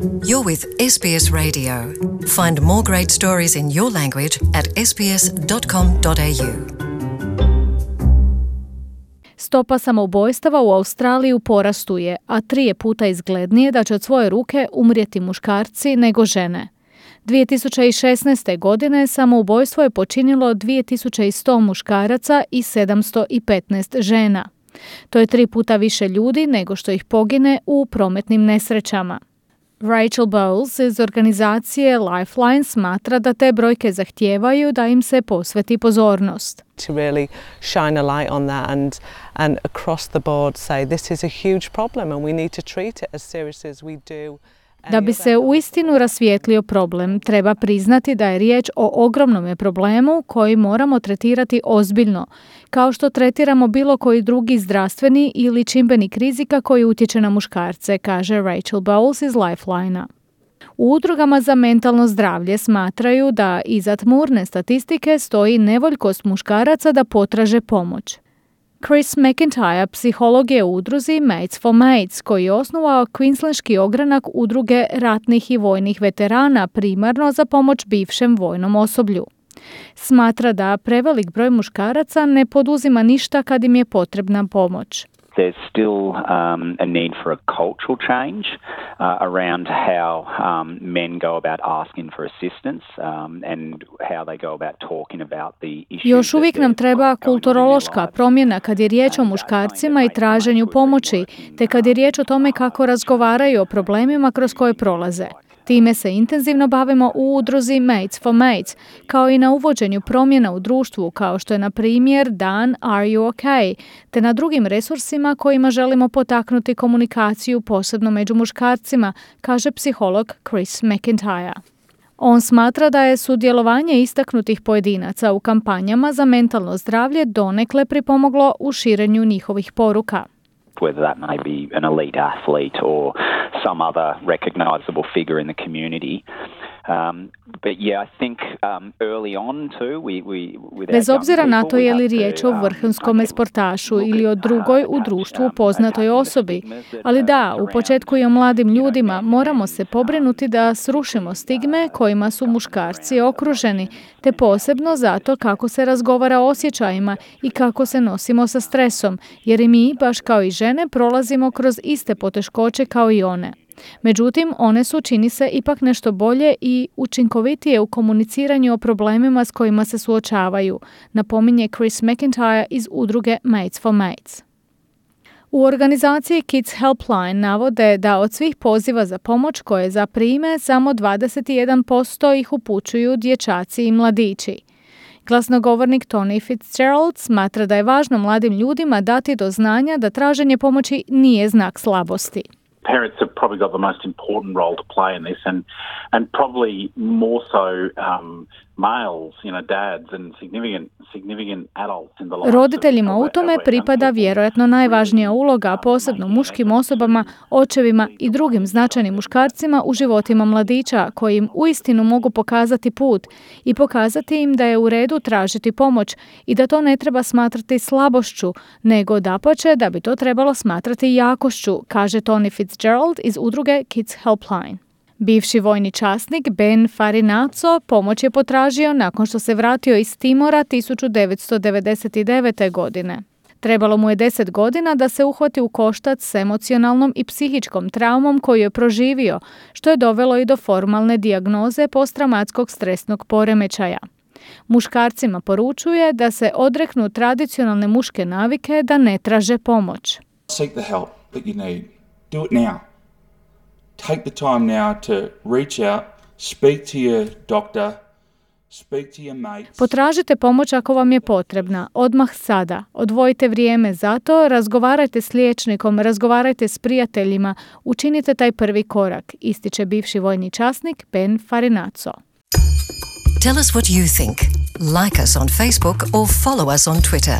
You're with SBS Radio. Find more great stories in your language at sbs.com.au. Stopa samoubojstava u Australiji u porastu je, a 3 je puta izglednije da će od svoje ruke umrijeti muškarci nego žene. 2016. godine samoubojstvo je počinilo 2100 muškaraca i 715 žena. To je 3 puta više ljudi nego što ih pogine u prometnim nesrećama. Rachel Bowles iz organizacije Lifeline smatra da te brojke zahtijevaju da im se posveti pozornost. To really shine a light on that and across the board say this is a huge problem and we need to treat it as seriously as we do. Da bi se uistinu rasvijetlio problem, treba priznati da je riječ o ogromnom problemu koji moramo tretirati ozbiljno, kao što tretiramo bilo koji drugi zdravstveni ili čimbenik rizika koji utječe na muškarce, kaže Rachel Bowles iz Lifeline-a. U udrugama za mentalno zdravlje smatraju da iza tmurne statistike stoji nevoljkost muškaraca da potraže pomoć. Chris McIntyre, psiholog je u udruzi Mates for Mates, koji je osnovao Queenslandski ogranak udruge ratnih i vojnih veterana primarno za pomoć bivšem vojnom osoblju. Smatra da prevelik broj muškaraca ne poduzima ništa kad im je potrebna pomoć. There's still a need for a cultural change around how men go about asking for assistance and how they go about talking about the issues. Još uvijek nam treba kulturološka promjena kad je riječ o muškarcima i traženju pomoći, te kad je riječ o tome kako razgovaraju o problemima kroz koje prolaze. Time se intenzivno bavimo u udruzi Mates for Mates, kao i na uvođenju promjena u društvu, kao što je na primjer dan Are You OK, te na drugim resursima kojima želimo potaknuti komunikaciju posebno među muškarcima, kaže psiholog Chris McIntyre. On smatra da je sudjelovanje istaknutih pojedinaca u kampanjama za mentalno zdravlje donekle pripomoglo u širenju njihovih poruka. Whether that may be an elite athlete or some other recognizable figure in the community. But yeah, I think early on too Bez obzira na to je li riječ o vrhunskom sportašu ili o drugoj u društvu poznatoj osobi, ali da, u početku i o mladim ljudima moramo se pobrinuti da srušimo stigme kojima su muškarci okruženi, te posebno zato kako se razgovara o osjećajima i kako se nosimo sa stresom, jer i mi, baš kao i žene, prolazimo kroz iste poteškoće kao i one. Međutim, one su, čini se, ipak nešto bolje i učinkovitije u komuniciranju o problemima s kojima se suočavaju, napominje Chris McIntyre iz udruge Mates for Mates. U organizaciji Kids Helpline navode da od svih poziva za pomoć koje zaprime, samo 21% ih upućuju dječaci i mladići. Glasnogovornik Tony Fitzgerald smatra da je važno mladim ljudima dati do znanja da traženje pomoći nije znak slabosti. Parents have probably got the most important role to play in this and probably more so males, dads and significant adults in the lives. Roditeljima u tome pripada vjerojatno najvažnija uloga, posebno muškim osobama, očevima i drugim značajnim muškarcima u životima mladića koji im uistinu mogu pokazati put i pokazati im da je u redu tražiti pomoć i da to ne treba smatrati slabošću, nego dapače da bi to trebalo smatrati jakošću, kaže Tony Fitzgerald iz udruge Kids Helpline. Bivši vojni časnik Ben Farinazzo pomoć je potražio nakon što se vratio iz Timora 1999. godine. Trebalo mu je 10 godina da se uhvati u koštac s emocionalnom i psihičkom traumom koju je proživio, što je dovelo i do formalne dijagnoze posttraumatskog stresnog poremećaja. Muškarcima poručuje da se odreknu tradicionalne muške navike da ne traže pomoć. Seek the help that you need. Do it now. Take the time now to reach out, speak to your doctor, speak to your mates. Potražite pomoć ako vam je potrebna, odmah sada. Odvojite vrijeme za to, razgovarajte s liječnikom, razgovarajte s prijateljima, učinite taj prvi korak, ističe bivši vojni časnik Ben Farinazzo. Tell us what you think. Like us on Facebook or follow us on Twitter.